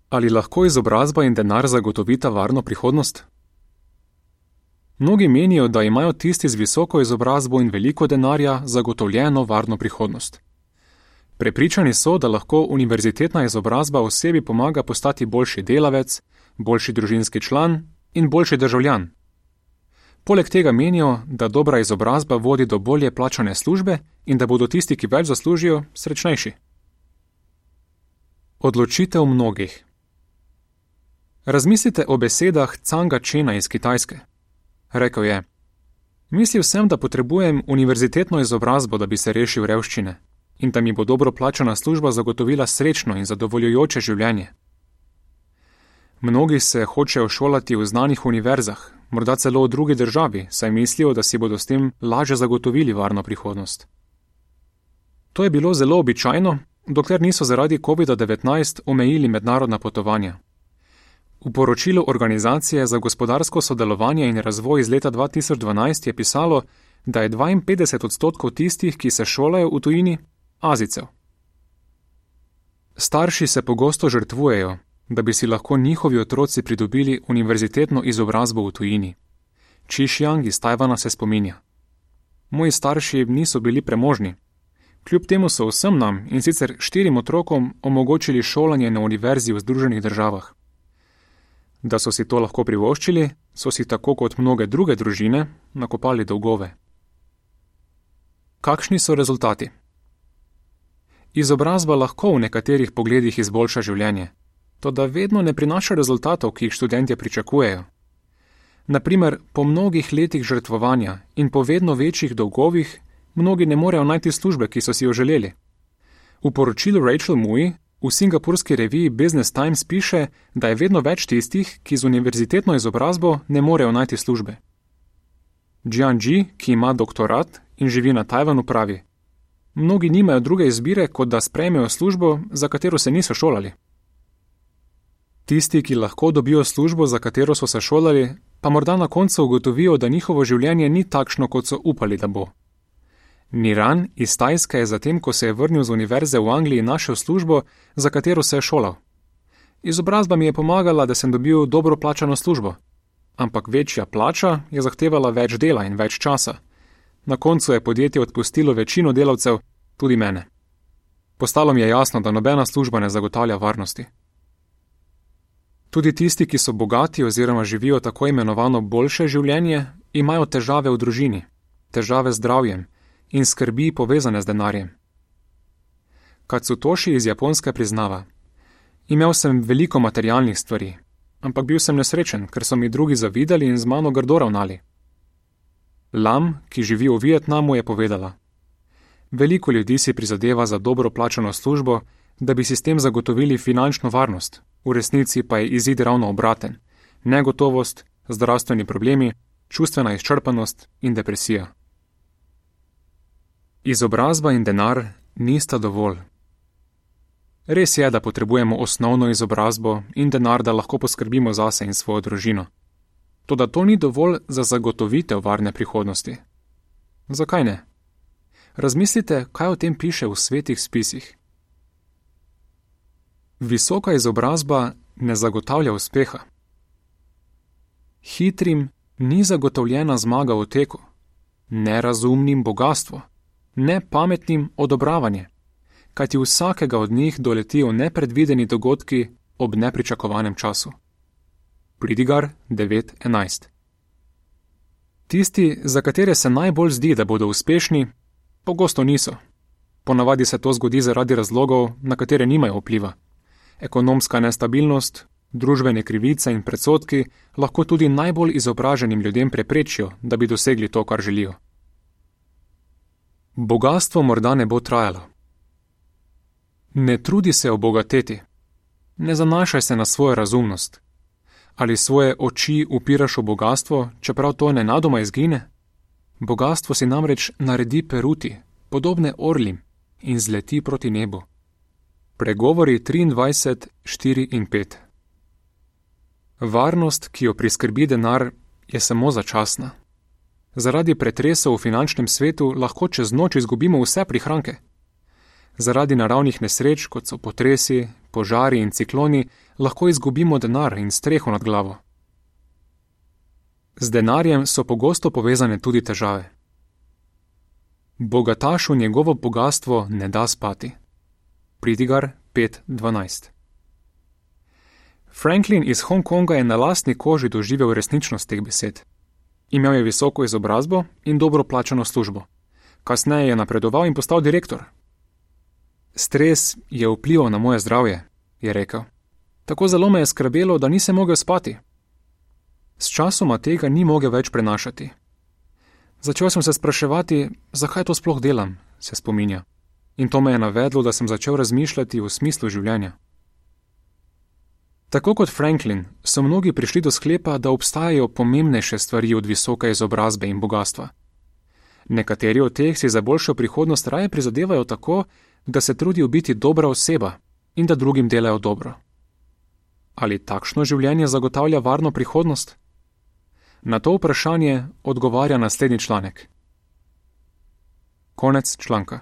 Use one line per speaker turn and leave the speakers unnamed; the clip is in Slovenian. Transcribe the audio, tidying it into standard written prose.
Ali lahko izobrazba in denar zagotovita varno prihodnost? Mnogi menijo, da imajo tisti z visoko izobrazbo in veliko denarja zagotovljeno varno prihodnost. Prepričani so, da lahko univerzitetna izobrazba osebi pomaga postati boljši delavec, boljši družinski član in boljši državljan. Poleg tega menijo, da dobra izobrazba vodi do bolje plačane službe in da bodo tisti, ki več zaslužijo, srečnejši. Odločitev mnogih. Razmislite o besedah Canga Chena iz Kitajske. Rekel je: Mislil sem, da potrebujem univerzitetno izobrazbo, da bi se rešil revščine in da mi bo dobro plačana služba zagotovila srečno in zadovoljujoče življenje. Mnogi se hočejo šolati v znanih univerzah, morda celo v drugi državi, saj mislijo, da si bodo s tem lažje zagotovili varno prihodnost. To je bilo zelo običajno, dokler niso zaradi COVID-19 omejili mednarodna potovanja. V poročilu Organizacije za gospodarsko sodelovanje in razvoj iz leta 2012 je pisalo, da je 52% tistih, ki se šolajo v tujini, Azijcev. Starši se pogosto žrtvujejo, da bi si lahko njihovi otroci pridobili univerzitetno izobrazbo v tujini. Qixiang iz Tajvana se spominja: Moji starši niso bili premožni. Kljub temu so vsem nam, in sicer 4 otrokom, omogočili šolanje na univerzi v Združenih državah. Da so si to lahko privoščili, so si tako kot mnoge druge družine nakopali dolgove. Kakšni so rezultati? Izobrazba lahko v nekaterih pogledih izboljša življenje, toda vedno ne prinaša rezultatov, ki jih študentje pričakujejo. Na primer, po mnogih letih žrtvovanja in po vedno večjih dolgovih, mnogi ne morejo najti službe, ki so si jo želeli. V poročilu Rachel Mui v singapurski reviji Business Times piše, da je vedno več tistih, ki z univerzitetno izobrazbo ne morejo najti službe. Jian Ji, ki ima doktorat in živi na Tajvanu, pravi: Mnogi nimajo druge izbire, kot da sprejmejo službo, za katero se niso šolali. Tisti, ki lahko dobijo službo, za katero so se šolali, pa morda na koncu ugotovijo, da njihovo življenje ni takšno, kot so upali, da bo. Niran iz Tajske je zatem, ko se je vrnil z univerze v Angliji, našel službo, za katero se je šolal. Izobrazba mi je pomagala, da sem dobil dobro plačano službo, ampak večja plača je zahtevala več dela in več časa. Na koncu je podjetje odpustilo večino delavcev, tudi mene. Postalo mi je jasno, da nobena služba ne zagotavlja varnosti. Tudi tisti, ki so bogati oziroma živijo tako imenovano boljše življenje, imajo težave v družini, težave z zdravjem in skrbi povezane z denarjem. Katsutoshi iz Japonske priznava: Imel sem veliko materialnih stvari, ampak bil sem nesrečen, ker so mi drugi zavidali in z mano grdo ravnali. Lam, ki živi v Vietnamu, je povedala: Veliko ljudi si prizadeva za dobro plačano službo, da bi si s tem zagotovili finančno varnost, v resnici pa je izid ravno obraten: negotovost, zdravstveni problemi, čustvena izčrpanost in depresija. Izobrazba in denar nista dovolj. Res je, da potrebujemo osnovno izobrazbo in denar, da lahko poskrbimo zase in svojo družino. Toda to ni dovolj za zagotovitev varne prihodnosti. Zakaj ne? Razmislite, kaj o tem piše v svetih spisih. Visoka izobrazba ne zagotavlja uspeha. Hitrim ni zagotovljena zmaga v teku, nerazumnim bogastvo, nepametnim odobravanje, kajti vsakega od njih doletijo nepredvideni dogodki ob nepričakovanem času. Pridigar 9.11. Tisti, za katere se najbolj zdi, da bodo uspešni, pogosto niso. Ponavadi se to zgodi zaradi razlogov, na katere nimajo vpliva. Ekonomska nestabilnost, družbene krivice in predsodki lahko tudi najbolj izobraženim ljudem preprečijo, da bi dosegli to, kar želijo. Bogastvo morda ne bo trajalo. Ne trudi se obogateti. Ne zanašaj se na svojo razumnost. Ali svoje oči upiraš v bogastvo, čeprav to nenadoma izgine? Bogastvo si namreč naredi peruti, podobne orlim, in zleti proti nebu. Pregovori 23, 4 in 5. Varnost, ki jo priskrbi denar, je samo začasna. Zaradi pretresov v finančnem svetu lahko čez noč izgubimo vse prihranke. Zaradi naravnih nesreč, kot so potresi, požari in cikloni, lahko izgubimo denar in streho nad glavo. Z denarjem so pogosto povezane tudi težave. Bogatašu njegovo bogastvo ne da spati. Pridigar 5:12. Franklin iz Hongkonga je na lastni koži doživel resničnost teh besed. Imel je visoko izobrazbo in dobro plačano službo. Kasneje je napredoval in postal direktor. Stres je vplival na moje zdravje, je rekel. Tako zelo me je skrbelo, da nisem mogel spati. S časoma tega ni mogel več prenašati. Začel sem se spraševati, zakaj to sploh delam, se spominja. In to me je navedlo, da sem začel razmišljati o smislu življenja. Tako kot Franklin so mnogi prišli do sklepa, da obstajajo pomembnejše stvari od visoke izobrazbe in bogastva. Nekateri od teh si za boljšo prihodnost raje prizadevajo tako, da se trudijo biti dobra oseba in da drugim delajo dobro. Ali takšno življenje zagotavlja varno prihodnost? Na to vprašanje odgovarja naslednji članek. Konec članka.